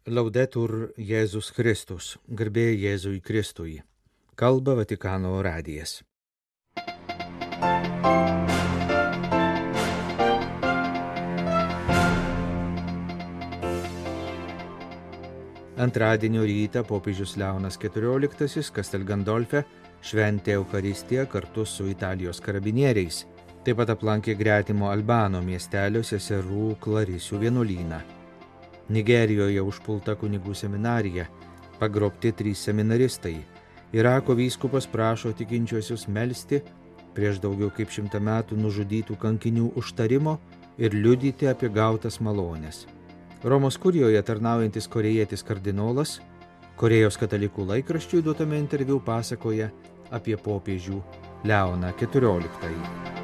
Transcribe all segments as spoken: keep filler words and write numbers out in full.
Laudetur Jėzus Kristus, garbė Jėzui Kristui. Kalba Vatikano radijas. Antradienio rytą popiežius Leonas keturioliktasis Castel Gandolfe šventė Eucharistiją kartu su Italijos karabinieriais. Taip pat aplankė gretimo Albano miestelio seserų Klarisių vienuolyną. Nigerijoje užpulta kunigų seminarija, pagrobti trys seminaristai. Irako vyskupas prašo tikinčiuosius melsti prieš daugiau kaip šimtą metų nužudytų kankinių užtarimo ir liudyti apie gautas malones. Romos kurijoje tarnaujantis korėjietis kardinolas Korėjos katalikų laikraščiui duotame interviu pasakoja apie popiežių Leoną keturioliktąjį.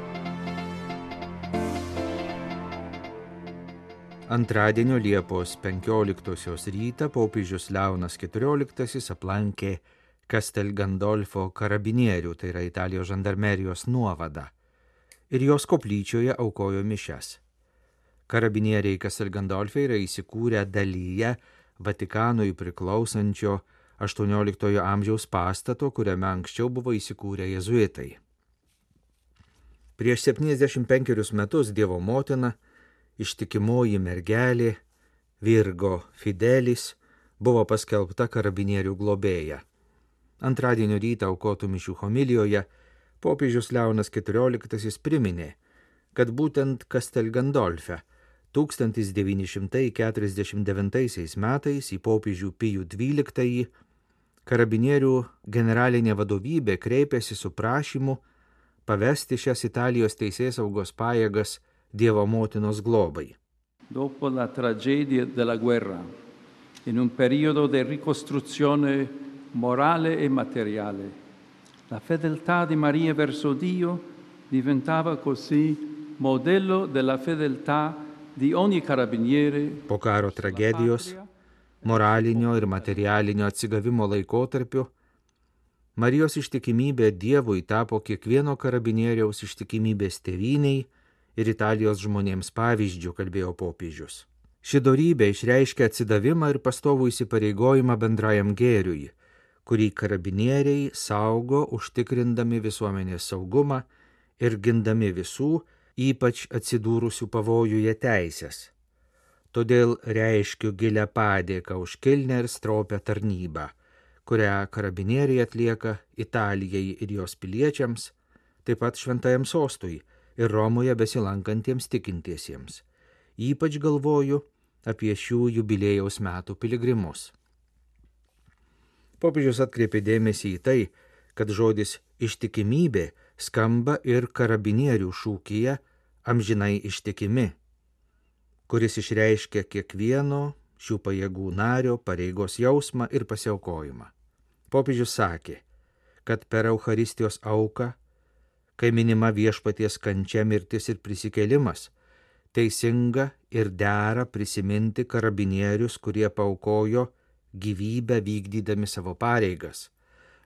Antradienio Liepos penkioliktosios rytą popiežius Leonas keturioliktasis aplankė Castel Gandolfo karabinierių, tai yra Italijos žandarmerijos nuovadą, ir jos koplyčioje aukojo mišias. Karabinieriai Castel Gandolfe yra įsikūrę dalyje Vatikanui priklausančio aštuonioliktojo amžiaus pastato, kuriame anksčiau buvo įsikūrę jėzuitai. Prieš septyniasdešimt penkerius metus Dievo motina, ištikimoji mergelė Virgo Fidelis, buvo paskelbta karabinierių globėja. Antradienio rytą aukotų mišių homilijoje popiežius Leonas keturioliktasis priminė, kad būtent Castel Gandolfe tūkstantis devyni šimtai keturiasdešimt devintaisiais metais į popiežių Pijų dvyliktąjį karabinierių generalinė vadovybė kreipėsi su prašymu pavesti šias Italijos teisėsaugos pajėgas Dievo motinos globai. Dopo la tragedia della guerra, in un periodo di ricostruzione morale e materiale, la fedeltà di Maria verso Dio diventava così modello della fedeltà di ogni carabiniere. Po karo tragedijos, moralinio ir materialinio atsigavimo laikotarpiu, Marijos ištikimybė Dievui tapo kiekvieno karabinieriaus ištikimybės tėvynei ir Italijos žmonėms pavyzdžių, kalbėjo popiežius. Ši dorybė išreiškia atsidavimą ir pastovų įsipareigojimą bendrajam gėriui, kurį karabinieriai saugo užtikrindami visuomenės saugumą ir gindami visų, ypač atsidūrusių pavojuje teisės. Todėl reiškiu gilią padėką už kilnią ir stropią tarnybą, kurią karabinieriai atlieka Italijai ir jos piliečiams, taip pat šventajam sostui ir Romoje besilankantiems tikintiesiems. Ypač galvoju apie šių jubiliejaus metų piligrimus. Popiežius atkreipė dėmesį į tai, kad žodis ištikimybė skamba ir karabinierių šūkyje amžinai ištikimi, kuris išreiškia kiekvieno šių pajėgų nario pareigos jausmą ir pasiaukojimą. Popiežius sakė, kad per Eucharistijos auką, kai minima viešpaties kančia, mirtis ir prisikėlimas, teisinga ir dera prisiminti karabinierius, kurie paaukojo gyvybę vykdydami savo pareigas.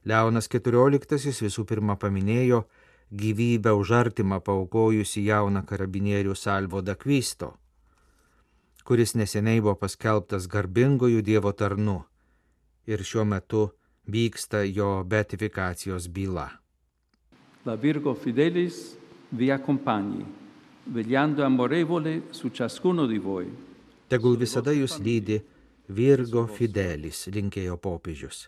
Leonas keturioliktasis visų pirma paminėjo gyvybę už artimą paaukojusi jauną karabinierių Salvo d'Acquisto, kuris neseniai buvo paskelbtas garbingojų Dievo tarnu ir šiuo metu vyksta jo beatifikacijos byla. La Virgo Fidelis vi accompagni, vegliando amorevole su ciascuno di voi. Tegul visada jūs lydi Virgo Fidelis, linkėjo popiežius.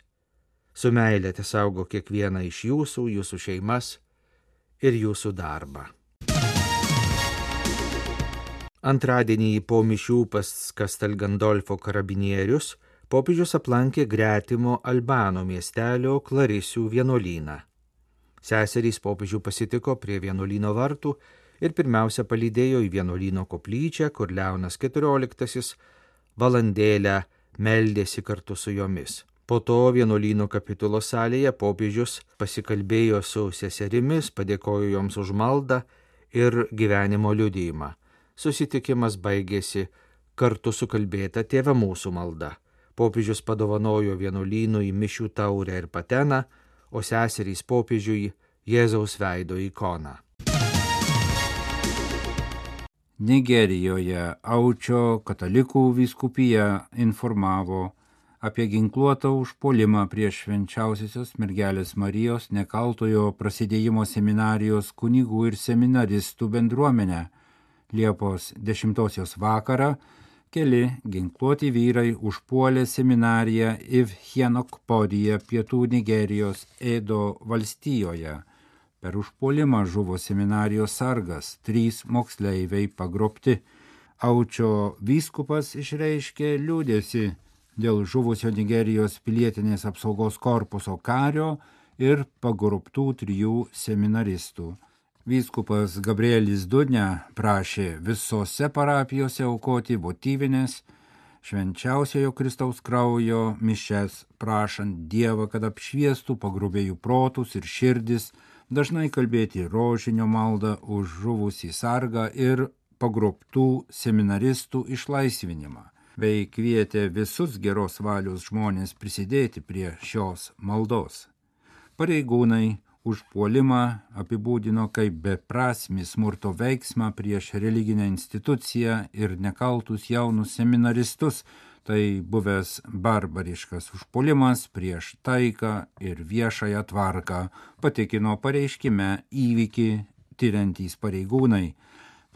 Su meilė tesaugo kiekvieną iš jūsų, jūsų šeimas ir jūsų darbą. Antradienį po mišių pas Castel Gandolfo karabinierius popiežius aplankė gretimo Albano miestelio Klarisių vienuolyną. Seserys popiežių pasitiko prie vienuolyno vartų ir pirmiausia palydėjo į vienuolyno koplyčią, kur Leonas keturioliktasis valandėlę meldėsi kartu su jomis. Po to vienuolyno kapitulos salėje popiežius pasikalbėjo su seserimis, padėkojo joms už maldą ir gyvenimo liudijimą. Susitikimas baigėsi kartu su kalbėta Tėve mūsų malda. Popiežius padovanojo vienuolynui mišių taurę ir pateną, o seserys popiežiui Jėzaus veido ikoną. Nigerijoje Aučio katalikų vyskupija informavo apie ginkluotą užpuolimą prieš švenčiausiosios mergelės Marijos nekaltojo prasidėjimo seminarijos kunigų ir seminaristų bendruomenę. Liepos dešimtosios vakarą keli ginkluoti vyrai užpuolė seminariją Ifhienokpodija pietų Nigerijos Edo valstijoje. Per užpuolimą žuvo seminarijos sargas, trys moksleiviai pagrobti. Aučio vyskupas išreiškė liūdesį dėl žuvusio Nigerijos pilietinės apsaugos korpuso kario ir pagrobtų trijų seminaristų. Vyskupas Gabrielis Dunia prašė visose parapijose aukoti votyvinės, švenčiausiojo Kristaus kraujo mišias, prašant Dievą, kad apšviestų pagrobėjų protus ir širdis, dažnai kalbėti rožinio maldą už žuvusį sargą ir pagrobtų seminaristų išlaisvinimą, bei kvietė visus geros valios žmonės prisidėti prie šios maldos. Pareigūnai užpuolimą apibūdino kaip beprasmį smurto veiksmą prieš religinę instituciją ir nekaltus jaunus seminaristus. Tai buvęs barbariškas užpuolimas prieš taiką ir viešąją tvarką, patikino pareiškime įvykį tiriantys pareigūnai.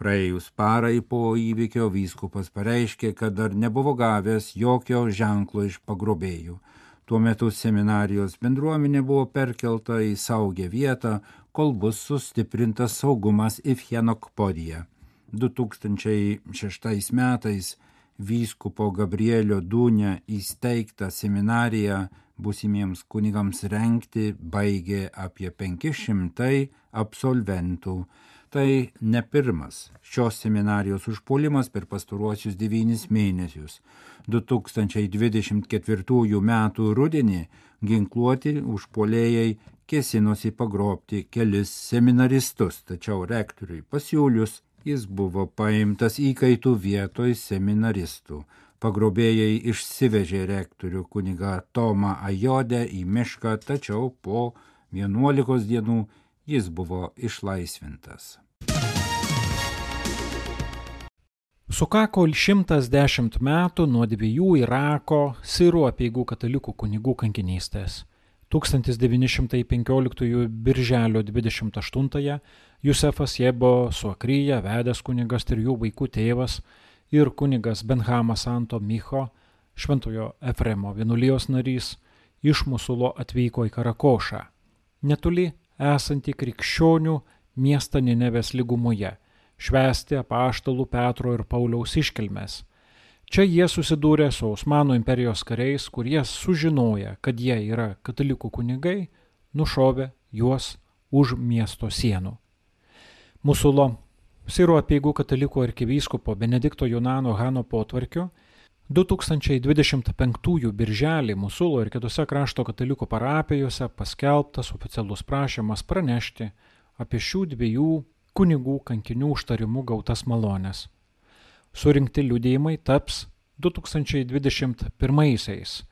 Praėjus parai po įvykio vyskupas pareiškė, kad dar nebuvo gavęs jokio ženklo iš pagrobėjų. Tuo metu seminarijos bendruomenė buvo perkelta į saugią vietą, kol bus sustiprintas saugumas Ifhienokpodija. du tūkstančiai šeštais metais vyskupo Gabrielio Dunia įsteigtą seminariją būsimiems kunigams rengti baigė apie penki šimtai absolventų. Tai ne pirmas šios seminarijos užpuolimas per pastaruosius devynis mėnesius. du tūkstančiai dvidešimt ketvirtųjų metų rudenį ginkluoti užpuolėjai kėsinosi pagrobti kelis seminaristus, tačiau rektoriui pasiūlius jis buvo paimtas įkaitų vietoj seminaristų. Pagrobėjai išsivežė rektorių kunigą Tomą Ajodę į mišką, tačiau po vienuolikos dienų jis buvo išlaisvintas. Sukako šimtas dešimt metų nuo dviejų Irako sirų apeigų katalikų kunigų kankinystės. tūkstantis devyni šimtai penkioliktųjų birželio dvidešimt aštuntąją Jusefas Jebo Suakryja, vedęs kunigas trijų vaikų tėvas ir kunigas Benhamas Anto Micho, Šventojo Efremo vienuolijos narys, iš Musulo atvyko į Karakošą, netoli esantį krikščionių miestą Ninevės lygumoje, švęsti apaštalų Petro ir Pauliaus iškilmes. Čia jie susidūrė su Osmanų imperijos kariais, kurie sužinoję, kad jie yra katalikų kunigai, nušovė juos už miesto sienų. Musulo sirų apeigų katalikų arkivyskupo Benedikto Junano Hano potvarkiu du tūkstančiai dvidešimt penktųjų birželį Musulo ir kitose krašto katalikų parapijose paskelbtas oficialus prašymas pranešti apie šių dviejų kunigų kankinių užtarimų gautas malones. Surinkti liudijimai taps du tūkstančiai dvidešimt pirmaisiais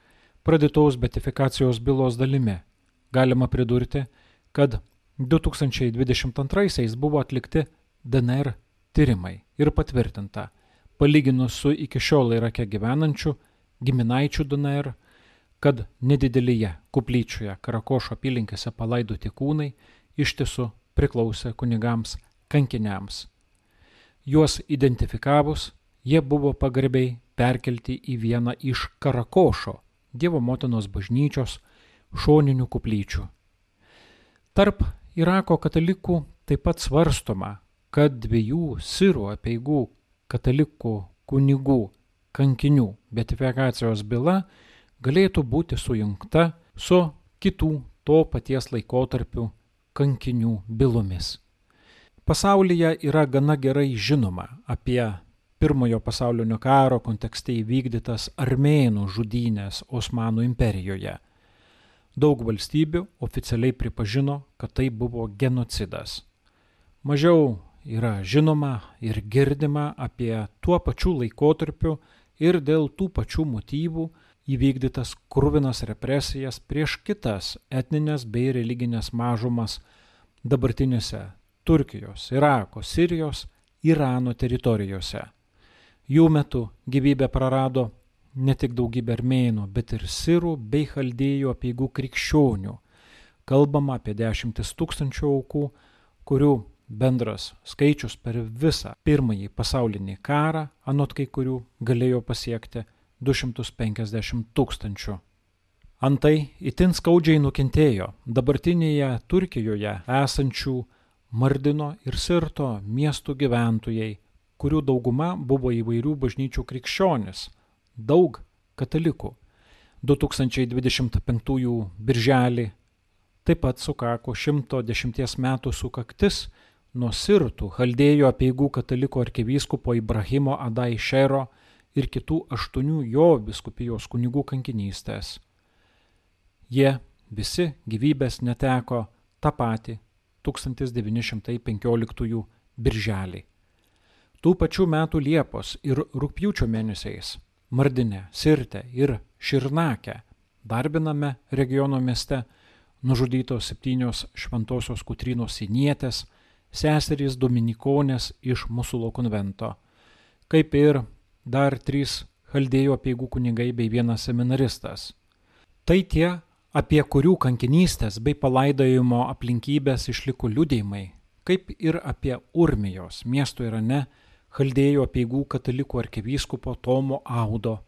pradėtos beatifikacijos bylos dalimi. Galima pridurti, kad du tūkstančiai dvidešimt antraisiais buvo atlikti D N R tyrimai ir patvirtinta, palyginus su iki šiol Irake gyvenančių giminaičių D N R, kad nedidelėje koplyčioje Karakošo apylinkėse palaidoti kūnai iš tiesų priklausė kunigams kankiniams. Juos identifikavus, jie buvo pagarbiai perkelti į vieną iš Karakošo, Dievo motinos bažnyčios, šoninių koplyčių. Tarp Irako katalikų taip pat svarstoma, kad dviejų sirų apeigų katalikų kunigų kankinių beatifikacijos byla galėtų būti sujungta su kitų to paties laikotarpių kankinių bylomis. Pasaulyje yra gana gerai žinoma apie Pirmojo pasaulinio karo kontekste įvykdytas armėnų žudynės Osmanų imperijoje. Daug valstybių oficialiai pripažino, kad tai buvo genocidas. Mažiau yra žinoma ir girdima apie tuo pačiu laikotarpiu ir dėl tų pačių motyvų įvykdytas kruvinas represijas prieš kitas etninės bei religinės mažumas dabartinėse Turkijos, Irako, Sirijos Irano teritorijose. Jų metu gyvybę prarado ne tik daugybė armėnų, bet ir sirų bei chaldėjų apeigų krikščionių. Kalbama apie dešimtis tūkstančių aukų, kurių bendras skaičius per visą pirmąjį pasaulinį karą, anot kai kurių, galėjo pasiekti du šimtus penkiasdešimt tūkstančių. Antai itin skaudžiai nukentėjo dabartinėje Turkijoje esančių Mardino ir Sirto miestų gyventojai, kurių dauguma buvo įvairių bažnyčių krikščionis, daug katalikų. du tūkstančiai dvidešimt penktųjų birželį taip pat sukako šimto dešimties metų sukaktis nuo Sirtų chaldėjų apeigų katalikų arkivyskupo Ibrahimo Adai Šero ir kitų aštuonių jo vyskupijos kunigų kankinystės. Jie visi gyvybės neteko tą patį tūkstantis devyni šimtai penkioliktųjų birželį. Tų pačių metų Liepos ir rugpjūčio mėnesiais Mardine, Sirte ir Širnake, Darbiname regiono mieste, nužudytos septynios šventosios Kotrynos sinietės, seserys dominikonės iš Musulo konvento, kaip ir dar trys chaldėjų apeigų kunigai bei vienas seminaristas. Tai tie, apie kurių kankinystės bei palaidojimo aplinkybės išliko liudijimai, kaip ir apie Urmijos miesto Irane chaldėjų apeigų katalikų arkivyskupo Tomo Audo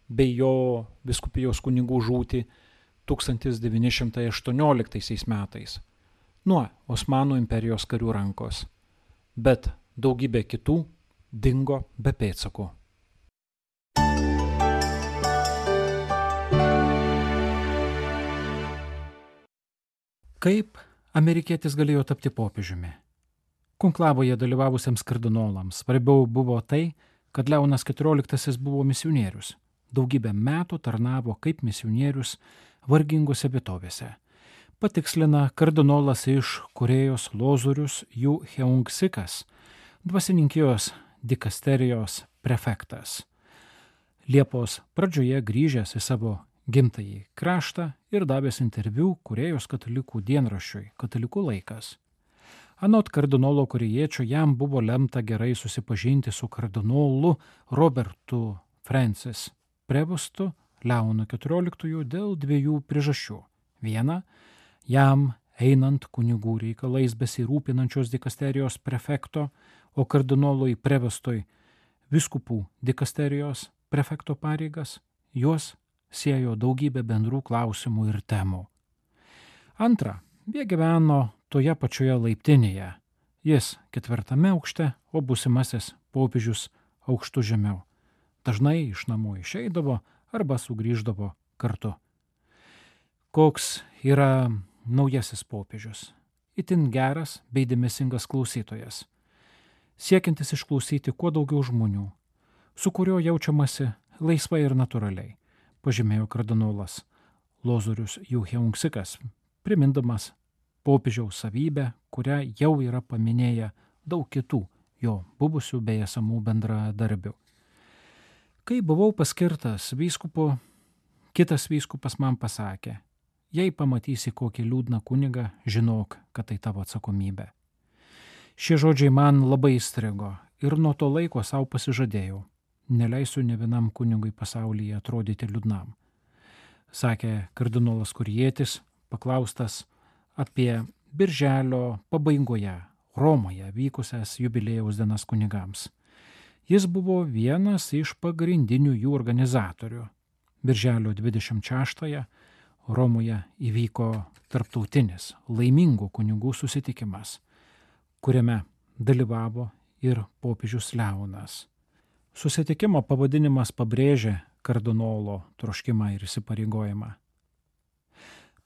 bei jo vyskupijos kunigų žūtį tūkstantis devyni šimtai aštuonioliktaisiais metais nuo Osmanų imperijos karių rankos, bet daugybė kitų dingo be pėdsakų. Kaip amerikietis galėjo tapti popiežiumi? Konklavoje dalyvavusiems kardinolams svarbiau buvo tai, kad Leonas keturioliktasis buvo misionierius. Daugybę metų tarnavo kaip misionierius vargingose vietovėse. Patikslina kardinolas iš Korėjos Lozorius Ju Heungsikas, dvasininkijos dikasterijos prefektas. Liepos pradžioje grįžęs į savo gimtąjį kraštą ir davęs interviu Korėjos katalikų dienraščiui Katalikų laikas. Anot kardinolo korėjiečio jam buvo lemta gerai susipažinti su kardinolu Robertu Francis Prevostu Leonu keturioliktuoju dėl dviejų priežasčių. Viena, jam einant kunigų reikalais besirūpinančios dikasterijos prefekto, o kardinolui Prevostui vyskupų dikasterijos prefekto pareigas, juos siejo daugybė bendrų klausimų ir temų. Antra, jie gyveno toje pačioje laiptinėje, jis ketvirtame aukšte, o būsimasis popiežius aukštu žemiau. Dažnai iš namų išeidavo arba sugrįždavo kartu. Koks yra naujasis popiežius? Itin geras bei dėmesingas klausytojas, siekiantis išklausyti kuo daugiau žmonių, su kuriuo jaučiamasi laisvai ir natūraliai, pažymėjo kardinolas Lozorius Ju Heungsikas, primindamas popiežiaus savybę, kurią jau yra paminėję daug kitų jo buvusių bei esamų bendradarbių. Kai buvau paskirtas vyskupu, kitas vyskupas man pasakė, jei pamatysi kokį liūdną kunigą, žinok, kad tai tavo atsakomybė. Šie žodžiai man labai įstrigo ir nuo to laiko savo pasižadėjau, neleisiu ne vienam kunigui pasaulyje atrodyti liūdnam. Sakė kardinolas Korėjietis, paklaustas apie birželio pabaigoje Romoje vykusias jubiliejaus dienas kunigams. Jis buvo vienas iš pagrindinių jų organizatorių. Birželio dvidešimt šeštąją Romoje įvyko tarptautinis laimingų kunigų susitikimas, kuriame dalyvavo ir popiežius Leonas. Susitikimo pavadinimas pabrėžė kardinolo troškimą ir įsipareigojimą.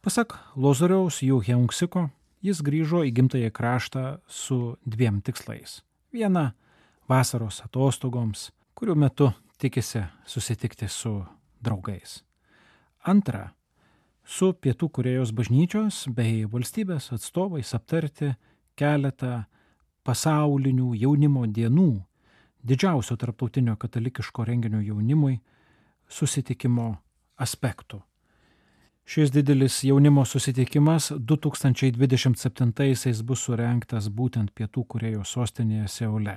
Pasak Lozoriaus Ju Heungsiko, jis grįžo į gimtąjį kraštą su dviem tikslais. Viena – vasaros atostogoms, kurių metu tikisi susitikti su draugais. Antra – su Pietų Korėjos bažnyčios bei valstybės atstovais aptarti keletą pasaulinių jaunimo dienų, didžiausio tarptautinio katalikiško renginio jaunimui susitikimo aspektų. Šis didelis jaunimo susitikimas du tūkstančiai dvidešimt septintaisiais bus surengtas būtent Pietų Korėjos sostinėje Seule.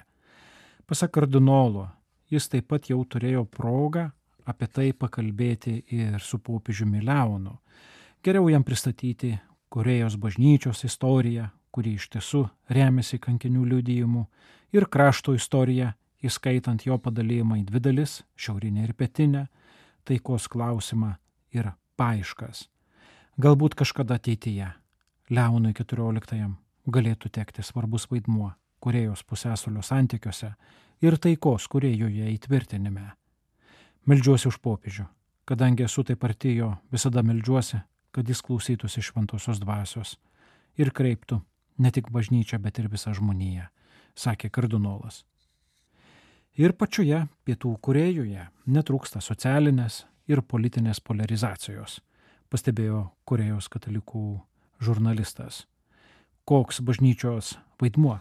Pasak kardinolo, jis taip pat jau turėjo progą apie tai pakalbėti ir su popiežiumi Leonu. Geriau jam pristatyti Korėjos bažnyčios istoriją, kuri iš tiesų remiasi kankinių liudijimu, ir krašto istoriją, įskaitant jo padalėjimą į dvi dalis, šiaurinę ir pietinę, taikos klausimą ir paieškas. Galbūt kažkada ateityje Leonui keturioliktajam galėtų tekti svarbus vaidmuo Korėjos pusiasalio santykiuose ir taikos Korėjoje įtvirtinime. Meldžiuosi už popiežių, kadangi esu taip arti jo, visada meldžiuosi, kad jis klausytųsi šventosios dvasios ir kreiptų ne tik bažnyčią, bet ir visą žmoniją, sakė kardinolas. Ir pačioje Pietų Korėjoje netrūksta socialinės ir politinės polarizacijos, pastebėjo Korėjos katalikų žurnalistas. Koks bažnyčios vaidmuo?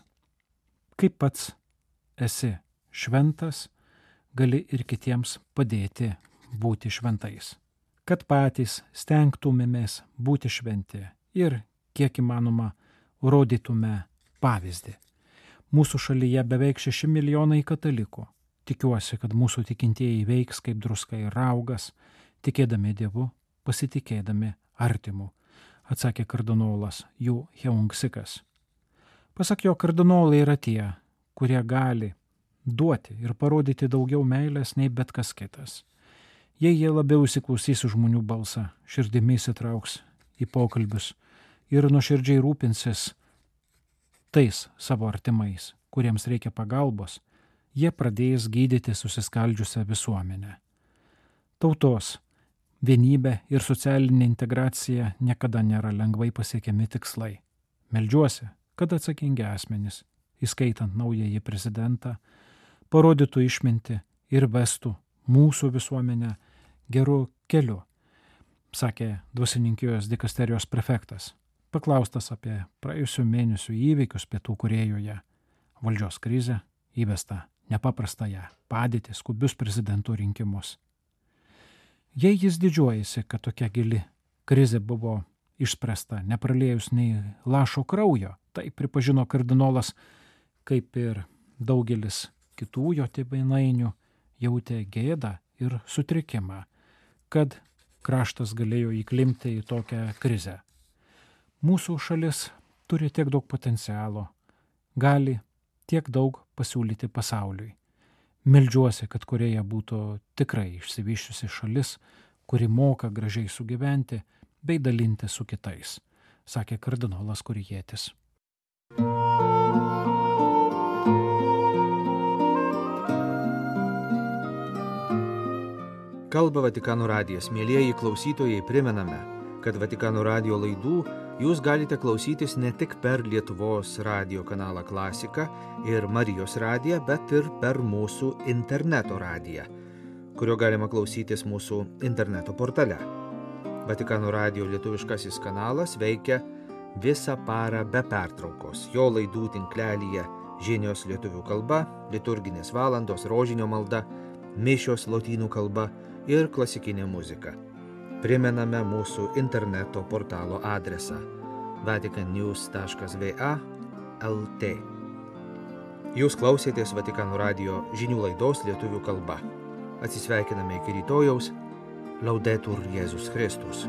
Kaip pats esi šventas, gali ir kitiems padėti būti šventais. Kad patys stengtumėmės būti šventi ir, kiek įmanoma, rodytume pavyzdį. Mūsų šalyje beveik šeši milijonai katalikų. Tikiuosi, kad mūsų tikintieji veiks kaip druska ir raugas, tikėdami Dievu, pasitikėdami artimu, atsakė kardinolas Ju Heung-sikas. Pasak jo, kardinolai yra tie, kurie gali duoti ir parodyti daugiau meilės nei bet kas kitas. Jei jie labiau įsiklausys žmonių balsą, širdimi įsitrauks į pokalbius ir nuoširdžiai rūpinsis tais savo artimais, kuriems reikia pagalbos, jie pradės gydyti susiskaldžiusią visuomenę. Tautos vienybė ir socialinė integracija niekada nėra lengvai pasiekiami tikslai. Meldžiuosi, kad atsakingi asmenys, įskaitant naująjį prezidentą, parodytų išmintį ir vestų mūsų visuomenę geru keliu, sakė dvasininkijos dikasterijos prefektas, paklaustas apie praėjusių mėnesių įvykius Pietų Korėjoje, valdžios krizę, įvestą nepaprastąją padėtį, skubius prezidentų rinkimus. Jei jis didžiuojasi, kad tokia gili krizė buvo išspręsta, nepraliejus nei lašo kraujo, tai pripažino kardinolas, kaip ir daugelis kitų jo tėvynainių, jautė gėdą ir sutrikimą, kad kraštas galėjo įklimpti į tokią krizę. Mūsų šalis turi tiek daug potencialo, gali tiek daug pasiūlyti pasauliui. Meldžiuosi, kad Korėja būtų tikrai išsivysčiusi šalis, kuri moka gražiai sugyventi bei dalinti su kitais, sakė kardinolas Korėjietis. Kalba Vatikano radijas. Mielieji klausytojai, primename, kad Vatikano radijo laidų jūs galite klausytis ne tik per Lietuvos radijo kanalą Klasika ir Marijos radiją, bet ir per mūsų interneto radiją, kurio galima klausytis mūsų interneto portale. Vatikano radijo lietuviškasis kanalas veikia visą parą be pertraukos. Jo laidų tinklelyje žinios lietuvių kalba, liturginės valandos, rožinio malda, mišios lotynų kalba ir klasikinė muzika. Primename mūsų interneto portalo adresą vatican news taškas v a taškas l t. Jūs klausėtės Vatikano radijo žinių laidos lietuvių kalba. Atsisveikiname iki rytojaus. Laudetur Jėzus Kristus.